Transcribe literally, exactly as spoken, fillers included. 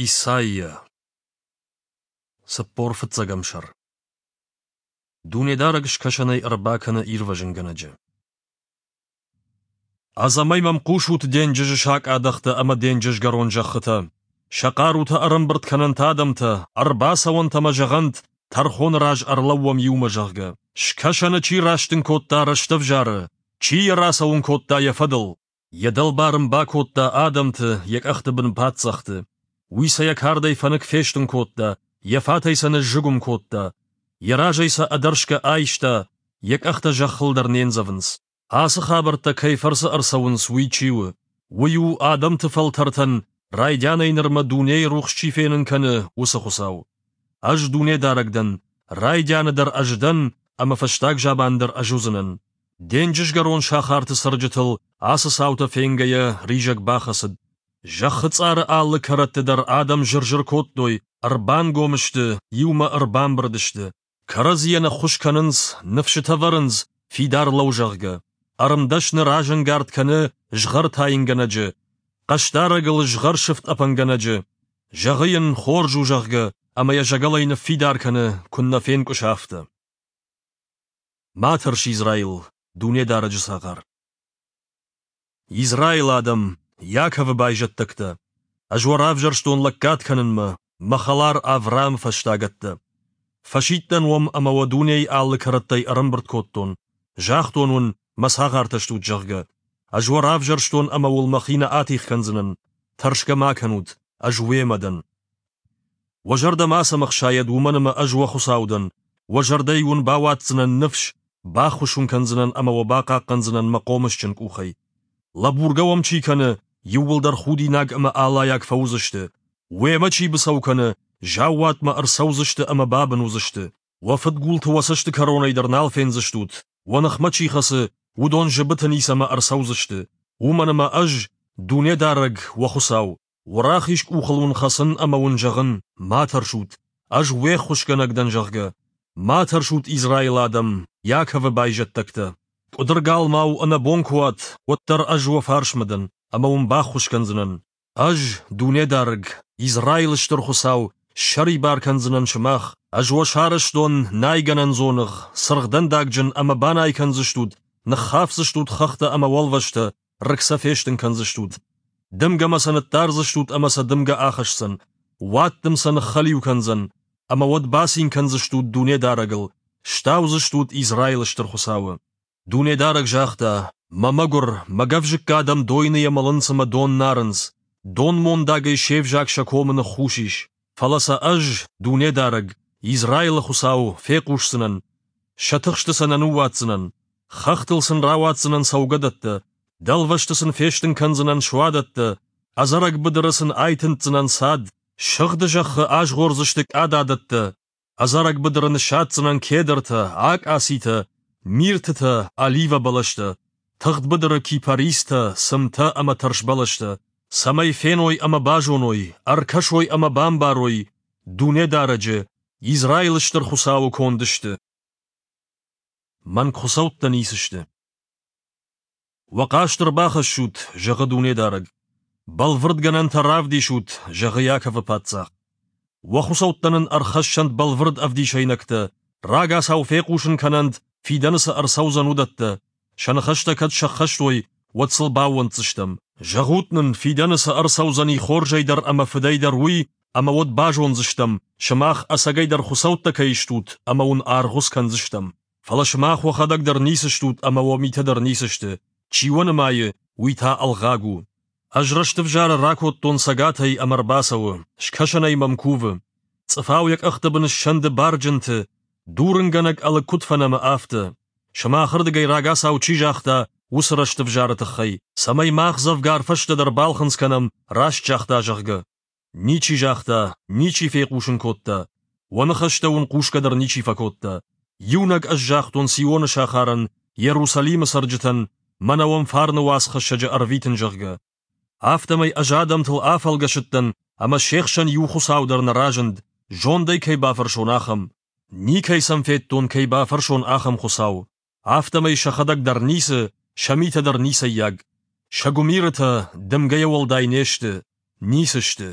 Исайя. Цыппор фыццӕгӕм сӕр. Дунедарӕг скӕсӕнӕй ӕрбакӕны ирвӕзынгӕнӕджы. Ӕдзӕмӕй мӕм хъусут денджызы сакъадӕхтӕ ӕмӕ денджызгӕрон зӕххытӕ. Сӕ хъарутӕ ӕрӕмбырд кӕнӕнт адӕмтӕ, ӕрбацӕуӕнт ӕмӕ зӕгъӕнт, тӕрхоны раз ӕрлӕууӕм иумӕ, зӕгъгӕ. Скӕсӕны чи растын кодта рӕстӕвзары, чи йӕ рацӕуын кодта йӕ фӕдыл? Йӕ дӕлбар ын бакодта адӕмты, йӕ къӕхты бын паддзӕхты. Уый сӕ йӕ кардӕй фӕнык фестын кодта, йӕ фатӕй сӕ ныззыгуым кодта. Йӕ разӕй сӕ ӕдӕрсгӕ айста, йӕ къӕхтӕ зӕххыл дӕр не ндзӕвынц. Ацы хабӕрттӕ кӕй фӕрцы ӕрцӕуынц, уый чи у? Уый у адӕмты фӕлтӕртӕн, райдианӕй нырмӕ дунейы рухс чи фенын кӕны, уыцы Хуыцау. Ӕз Дунедарӕг дӕн, райдианы дӕр ӕз дӕн, ӕмӕ фӕстаг заман дӕр ӕз уыдзынӕн. Денджызгӕрон сахарты цӕрджытыл ацы цаутӕ фенгӕйӕ ризӕг бахӕцыд. Зӕххы цъары алы кӕрӕтты дӕр адӕм зыр-зыр кодтой, ӕрбангом сты, иумӕ ӕрбамбырд сты. Кӕрӕдзийӕн ӕххуыс кӕнынц, ныфсытӕ вӕрынц, фидар лӕуу, зӕгъгӕ. Ӕрмдӕсны разӕнгард кӕны згъӕр тайынгӕнӕджы, хъӕсдарӕгыл згъӕр сыфтъӕпӕнгӕнӕджы. Зӕгъы йын, хорз у, зӕгъгӕ, ӕмӕ йӕ зӕгӕлӕй ныффидар кӕны, куыннӕ фенкъуыса, афтӕ. Ма тӕрс, Израил, Дунедарӕджы цагъар. Израилы адӕм, Иаковы байзӕддӕгтӕ! Ӕз уӕ равзӕрстон лӕггад кӕнынмӕ, мӕ хӕлар Авраамы фӕстагӕттӕ. Фӕсидтӕн уӕм ӕмӕ уӕ дунейы алы кӕрӕттӕй ӕрӕмбырд кодтон. Загътон уын, мӕ цагъартӕ стут, зӕгъгӕ. Ӕз уӕ равзӕрстон ӕмӕ уыл мӕхи нӕ атигъ кӕндзынӕн. Тӕрсгӕ ма кӕнут, ӕз уемӕ дӕн. Уӕ зӕрдӕ мацӕмӕ хсайӕд, уымӕн ӕмӕ ӕз уӕ Хуыцау дӕн. Уӕ зӕрдӕйы уын бауадздзынӕн ныфс, баххуыс уын кӕндзынӕн ӕмӕ уӕ бахъахъхъӕндзынӕн мӕ хъомысджын къухӕй. Лӕбургӕ уӕм чи кӕны, иууылдӕр худинаг ӕмӕ алайаг фӕуыдзысты. Уемӕ чи быцӕу кӕны, заууатмӕ ӕрцӕудзысты ӕмӕ бабын уыдзысты. Уӕ фыдгулты уӕ цӕсты кӕронӕй дӕр нал фендзыстут, уӕ ныхмӕ чи хӕцы, уыдон зыбыты ницӕмӕ ӕрцӕудзысты. Уымӕн ӕмӕ ӕз, Дунедарӕг, уӕ Хуыцау, уӕ рахиз къухыл уын хӕцын ӕмӕ уын зӕгъын, ма тӕрсут, ӕз уе ххуысгӕнӕг дӕн, зӕгъгӕ. Ма тӕрсут, Израилы адӕм, Иаковы байзӕддӕгтӕ. Къуыдыргалмау ӕнӕбон куы уат, уӕддӕр ӕз уӕ фарсмӕ дӕн, ӕмӕ уын баххуыс кӕндзынӕн. Ӕз, Дунедарӕг, Израилы Стыр Хуыцау, ссӕрибар кӕндзынӕн сымах. Ӕз уӕ сарӕзтон найгӕнӕн дзоныгъ, цыргъдӕндагджын ӕмӕ банай кӕндзыстут, ныххафдзыстут хӕхтӕ ӕмӕ уӕлвӕзтӕ, рыг сӕ фестын кӕндзыстут. Дымгӕмӕ сӕ ныддардзыстут ӕмӕ сӕ дымгӕ ахӕсдзӕн. Уаддым сӕ ныххӕлиу кӕндзӕн, ӕмӕ уӕд бацин кӕндзыстут Дунедарӕгыл, стаудзыстут Израилы Стыр Хуыцауы. Дунедарӕг загъта, мӕ мӕгуыр, мӕ гӕвзыкк адӕм дойныйӕ мӕлынц ӕмӕ дон нарынц, донмондагӕй се взаг сӕ комы ныххус ис. Фӕлӕ сӕ ӕз, Дунедарӕг, Израилы Хуыцау, фехъусдзынӕн, сӕ тыхсты сӕ нӕ ныууадздзынӕн. Хӕхтыл сын рауадздзынӕн цӕугӕдӕттӕ, дӕлвӕзты сын фестын кӕндзынӕн суадӕттӕ, ӕдзӕрӕг быдыры сын айтындздзынӕн цад, сыгъды зӕххы азгъордзысты къададӕттӕ, ӕдзӕрӕг быдыры ныссадздзынӕн кедртӕ, акъацитӕ, миртытӕ, оливӕ бӕлӕстӕ, тыгъд быдыры кипаристӕ, цымтӕ ӕмӕ тӕрсбӕлӕстӕ, цӕмӕй феной ӕмӕ базоной, ӕркӕсой ӕмӕ бамбарой, Дунедарӕджы, Израилы Стыр Хуыцауы конд сты. Мӕнг хуыцӕуттӕ ницы сты. Уӕ хъаст ӕрбахӕссут, зӕгъы Дунедарӕг. Бӕлвырдгӕнӕнтӕ равдисут, зӕгъы Иаковы паддзах. Уӕ хуыцӕуттӕ нын ӕрхӕссӕнт бӕлвырд ӕвдисӕйнӕгтӕ, рагацау фехъусын кӕнӕнт, фидӕны цы ӕрцӕудзӕн, уыдӕттӕ. Сӕ ныхӕстӕ кӕд сӕххӕст уой, уӕд сыл баууӕнддзыстӕм. Зӕгъут нын, фидӕны цы ӕрцӕудзӕни хорзӕй дӕр ӕмӕ фыдӕй дӕр, уый, ӕмӕ уӕд базондзыстӕм, сымах ӕцӕгӕйдӕр хуыцӕуттӕ кӕй стут, ӕмӕ уын аргъуыц кӕндзыстӕм. Фӕлӕ сымах уӕхӕдӕг дӕр ницы стут ӕмӕ уӕ митӕ дӕр ницы сты. Чи уӕ нымайы, уый та ӕлгъаг у. Ӕз рӕстӕвзары ракодтон цӕгатӕй ӕмӕ ӕрбацӕуы, скӕсӕнӕй мӕм кувы. Цъыфау йӕ къӕхты бын ссӕнды барджынты, дурынгӕнӕг ӕлыг куыд фӕнӕмы, афтӕ. Сымахырдыгӕй рагацау чи загъта, уыцы рӕстӕвзары тыххӕй, цӕмӕй мах дзӕвгар фӕстӕдӕр балхынцъ кӕнӕм, раст загъта, зӕгъгӕ. Ничи загъта, ничи фехъусын кодта. Уӕ ныхӕстӕ уын хъусгӕ дӕр ничи фӕкодта. Иунӕг ӕз загътон Сионы сахарӕн, Иерусалимы цӕрджытӕн, мӕнӕ уӕм фарны уацхӕссӕджы ӕрвитын, зӕгъгӕ. Афтӕмӕй ӕз адӕмтыл афӕлгӕсыдтӕн, ӕмӕ се хсӕн иу хуыцау дӕр нӕ разынд, зондӕй кӕй бафӕрсон, ахӕм. Никӕй сӕм федтон, кӕй бафӕрсон, ахӕм хуыцау. Афтӕмӕй сӕхӕдӕг дӕр ницы, сӕ митӕ дӕр ницӕййаг. Сӕ гуымирытӕ дымгӕйӕ уӕлдай не сты, ницы сты.